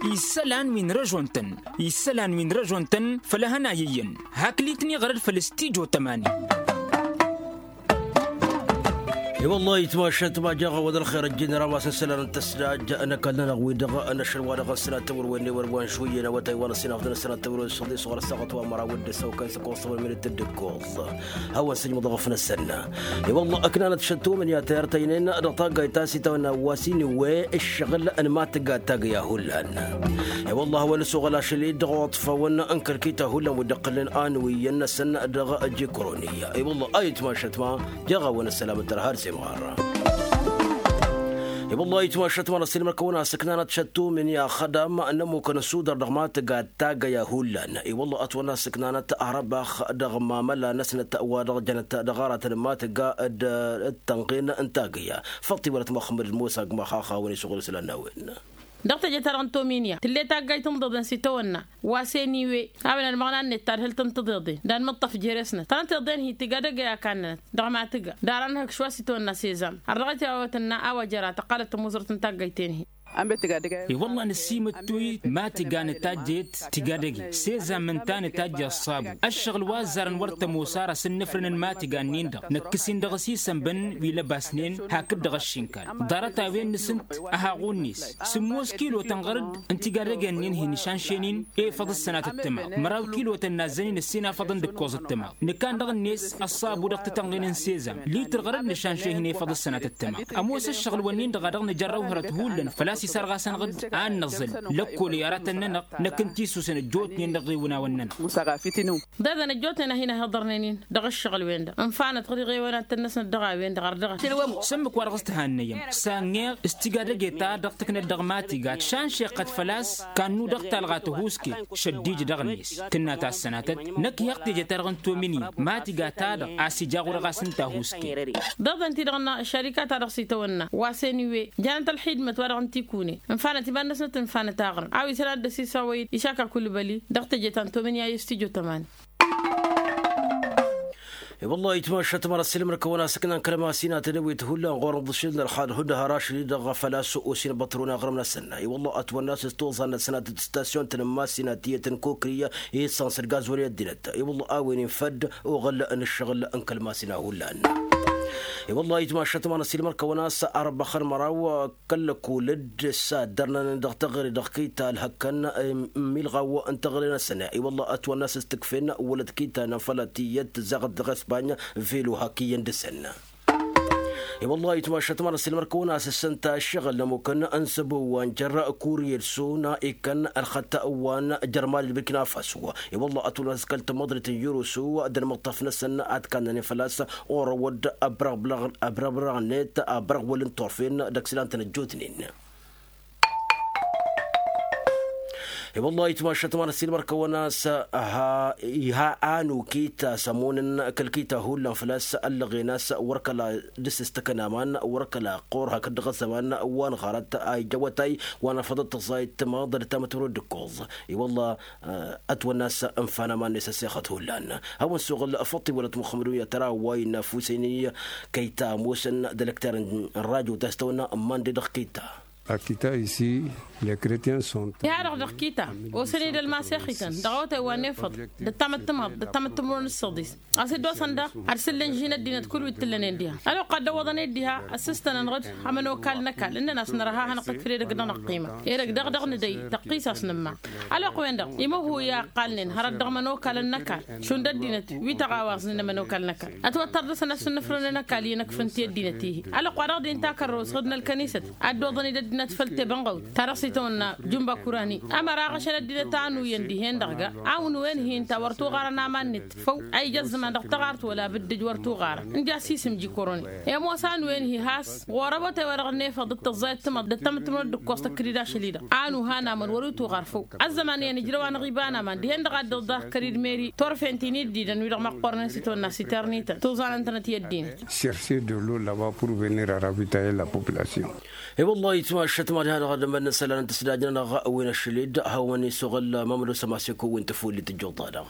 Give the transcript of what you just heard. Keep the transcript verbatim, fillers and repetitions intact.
Isălan wi n-răžon-tăn isălan wi n-răžon-tăn făll-ehăn a iyyăn. Hakli-tăn iɣrăd făll-stijo tămani. I-wăllah itmašăt ma jaɣ-awăd ălxer ăjjin ramas n-isălan n-tăsdaj. N-ăkall-nănăɣ wi-dăɣ n-ašăl wa dăɣ-năsnat tăwăr-wen n-ewăr wa n-šuyyăn awătay wa n-ăssinafḍăn ăssinat tăwăr-wen s-ăḍḍi s-ɣur-ăssaɣăt wa n-măraw d-ăssaw kayǝs ăkkoẓ tăwăr-wen d-tăddǝkkoẓ. Hawăn-sǝjmǝḍ ɣǝf-năsăn. I-wăllah ăknanăt šăttumǝn i-ad-tayăr tăynen dăɣ-taggayt ta s-itawănna wa s-inǝwwe ǝššăɣǝl n-imatǝga tagǝy ahullan. I-wăllah hawăn-ăsoɣăl ašăl-i dăɣ-oḍfawăn n-kăl-kita hullan wi dd-iqqălnen anǝwiyyăn-năsăn dăɣ-jikroni. I-wăllah a itmašăt ma jaɣ-awăn ăssălam n-tărha d-semɣar. I-wăllah a itmašăt ma n-ăssilmăr-kăwăn-as ǝknanăt šăttumǝn i-axădam n-ămmukăn ăssudăr dăɣ-imatǝga tagăya hullan. I-wălla ătwănna s-ǝknanăt arăbax dăɣ-mamăla-năsnăt wa dăɣ-jănăt dăɣ-aratăn n-imatǝga d-tănɣen n-tagăya. Făṭṭi wălăt măxmăd d-musa gma xaxawăn isuɣǝl isălan n-a-wen. Dăɣ-teje-ta-dăɣ n-tominya tǝll'-e taggayt n-iḍeḍen s-itawănna wa s-e n-iwe. A-wen ălmăɣna-net tadhǝlt n-tiḍeḍen d-anmǝṭṭăf jer-esnăt tănăt iḍen-hi tiga dăgg-e a kannănăt dăɣ-imatǝga. Dar a nǝhǝkš wa s-itawănna s-ezam har dăɣ-t i-a-wa tǝnna a-wa jăra tăqqalăt tămuzărt n-taggayt-en-hi. I-wălla nǝsimǝttuy ma tiga nǝtajjăyăt tiga dăgg-i s-ezam ǝnta nǝtajjăy ăṣṣabu. Ăššăɣǝl wa ăzzarăn wăr tămoos ar asǝnnǝfrǝnăn ma tiga-nin-dăɣ năkkăs-in dăɣ-s isănbăn wi lăbasnen hakd-dăɣ ăššinkal. Ḍarăt-a-wen nǝsǝnt ăhaɣu-net sǝmmos kilotăn ɣărăd n-tiga dăgg-en-nin-hi nǝšanšen-in efăḍ ǝssănat ăttămaḍ. Măraw kilotăn nazzăn-in ǝssin afăḍăn d-ǝkkoẓ ăttămaḍ. Nǝkan dăɣ-net ăṣṣabu dăɣ-titănɣin n-sezam litr ɣărăd nǝšanše-hin efăḍ ǝssănat ăttămaḍ. Ămoos ăššăɣǝl-wǝnnin-dăɣ a dăɣ-nǝjărrăw hărăt hullan făl-a-s isarɣasăn ɣǝd a n-năẓǝl. Lăkkol i-aratăn-nănăɣ năkk n-tisusen ăjjootnen dăɣ-iwǝnawăn-nănăɣ. Ḍeḍăn ăjjootnen a hin-ăhiḍărnen-in dăɣ-ǝššăɣǝl-wen-dăɣ ǝnfanăt ɣǝr-iɣewanat-năsnăt dăɣ-a-wen-dăɣ ar dăɣ-s. Sǝmmǝk wa dăɣ-s tǝhannăyăm s-anneɣ s-tiga dăgg-e ta dăɣ-tǝknăt dăɣ-matiga tšanšeɣ-t făl-a-s. Kannu dăɣ-talɣa tăhuske šăddij dăɣ-net tǝnna ta ăssănatăt. Năkk iha ɣ-teje-ta-dăɣ n-tominǝy matiga-ta-dăɣ a-s ija ɣur-ɣas ǝnta a huske. Ḍeḍăn-ti-dăɣ n-ašarika-ta-dăɣ s-itawănna wa s-e n-iwe janăt ălxidmăt wa dăɣ-n tikune ǝnfanăt iman-năsnăt ǝnfanăt aɣrǝm a-wa isălan dd-ăsisawăy-dd išakakul băli. Dăɣ-teje ta n-tominǝy a i-s tijo tămani. I-wăllah itmašăt măra s-ilmăr-kăwăn-asǝknan kăl-masinat d-ewit hullan ɣur-nǝḍǝšil n-ălxad hudăhăr ašăl-i-dăɣ făl-a-s osin băṭrun aɣrǝm-năsăn. I-wăllah ătwănna s-toẓan-năsăn ad-tăt-stasyon-tăn n-masinat tiyyăt n-kokri i-săns d-gazwăl i-ăddinăt. I-wăllah a-wen infădd oɣăl n-ǝššăɣǝl n-kăl-masina hullan. I-wăllah itmašăt măra s-ilmăr-kăwăn-as arbăxăn măraw kăl-lăkul dd-saddărnăn dăɣ-teɣăre dăɣ-kita ălhăkkăn n-milɣaw n-teɣăre-năsăn. I-wălla ătwănna s-ǝstǝkfen wălăt kita n-afălăt iyyăt tǝzzaɣăt dăɣ-espany velu hak iyyăn dăɣ-săn. I-wălla itmašăt măra s-ilmăr-kăwăn-as ǝssǝnta ǝššăɣǝl n-ămmukăn n-săbo wa n-jăr kuriyed-su n-a ikkăn ălxăt wa n-jărmali d-birkina faso. I-wălla ătwănna s-kăl-tamăḍrit n-yărusu d-ălmăṭṭaf-năsăn ad-kannănen făl-a-s orăwăd ăbrăɣ-net ăbrăɣ-wăl n-turfen dăɣ-s ilan-tăn ăjjootnen. I-wălla itmašăt măra s-ilmăr-kăwăn-as iha anu kita s-ămunăn kăl-kita hullan făl-a-s ăllăɣen a-s wăr kăla dăr-s ǝstăkăn aman wăr kăla ăqqur hakd dăɣ-ăzzăman wa n-ɣarăt a ija awătay wa n-afăḍăt tăẓayt timaḍ d-tamătmăro d-ǝkkoẓ. I-wălla ătwănna a-s ǝnfan aman-net ăssexăt hullan. Hawăn-suɣǝl făṭṭi wălăt muxămmăd unya tăra wa innă ăfusen-i kăy-ta ămoosăn d-ălăkter n-rajo ta s-tăwănna n-mande dăɣ-kăy-ta. Akita isi. Lăkretiyăn sunt. Iha-dăɣ dăɣ-kita osăn-dd ălmasex-ităn dăɣ-awătay wa n-efăḍ d-ăttamăttămaḍ d-ăttamăttămăro n-ǝssăḍis. A-s dd-osăn daɣ ad-sǝllǝnžin ăddinăt kull wi t-tǝllănen diha ălwăqq a dd-ăwwăḍăn-dd diha ăssistănăn-ɣǝd. Amănokal n-ăkall ǝnnăn-as nărha hanăɣ-tǝkfǝd edăgg-nănăɣ qiima edăgg daɣ dăɣ-nǝdăy tăqqis a-s nǝmma. Ălwăqq-wen-dăɣ imăhu i-a ǝqqalnen hărăt dăɣ-imănokal n-ăkall šund ăddinăt wi tăɣawaẓnen imănokal n-ăkall ătwăttăr dăɣ-săn ad-sǝnnǝfrǝnăn ăkall i-inăkf ǝnta i-ăddinăt-i-hi. Ălwăqq wa dăɣ-din takărrăwt ɣǝd n-ălkănisăt ad-dd-oḍăn-dd ăddinăt făll-tebănɣăwt ta dăɣ-s itawănna jumba kurani. Ămăra aɣăšăn ăddinăt a ănuyăn dihen-dăɣ ga a unǝwen-hi ǝnta wăr tuɣarăn aman-net făw a ija ăzzăman dăɣ-taɣart wăla bǝddǝj wăr tuɣarăn ǝnja s-isǝm jikoroni. I-ămoos a ănuyăn-hi has ɣur-awătay wa dăɣ-nefăḍ d-tăẓẓayăt timăḍ d-ăttamăttămănăt d-ǝkkoẓ tăkk-dd ašăl-i-dăɣ a nuhan aman wăr-wi tuɣar făw. Ăzzăman iyyăn ǝjrăw-anăɣ iba n-aman dihen-dăɣ a dd-iḍa kăr-dd meri turfen ti n-iddidăn wi-dăɣ măqqornen s-itawănna s-iternităn tuẓanăn-tănăt i-ăddinăt. Chercher de l'eau là-bas pour venir à ravitailler la population. I-wăllah itmašăt mad-ha-dăɣ ad-ămănna isălan n-tǝsdajnănăɣ wi n-ašăl-dd hawăn-isuɣǝl mamăd osămaseko wi n-tăfullit ǝjjuḍa-dăɣ.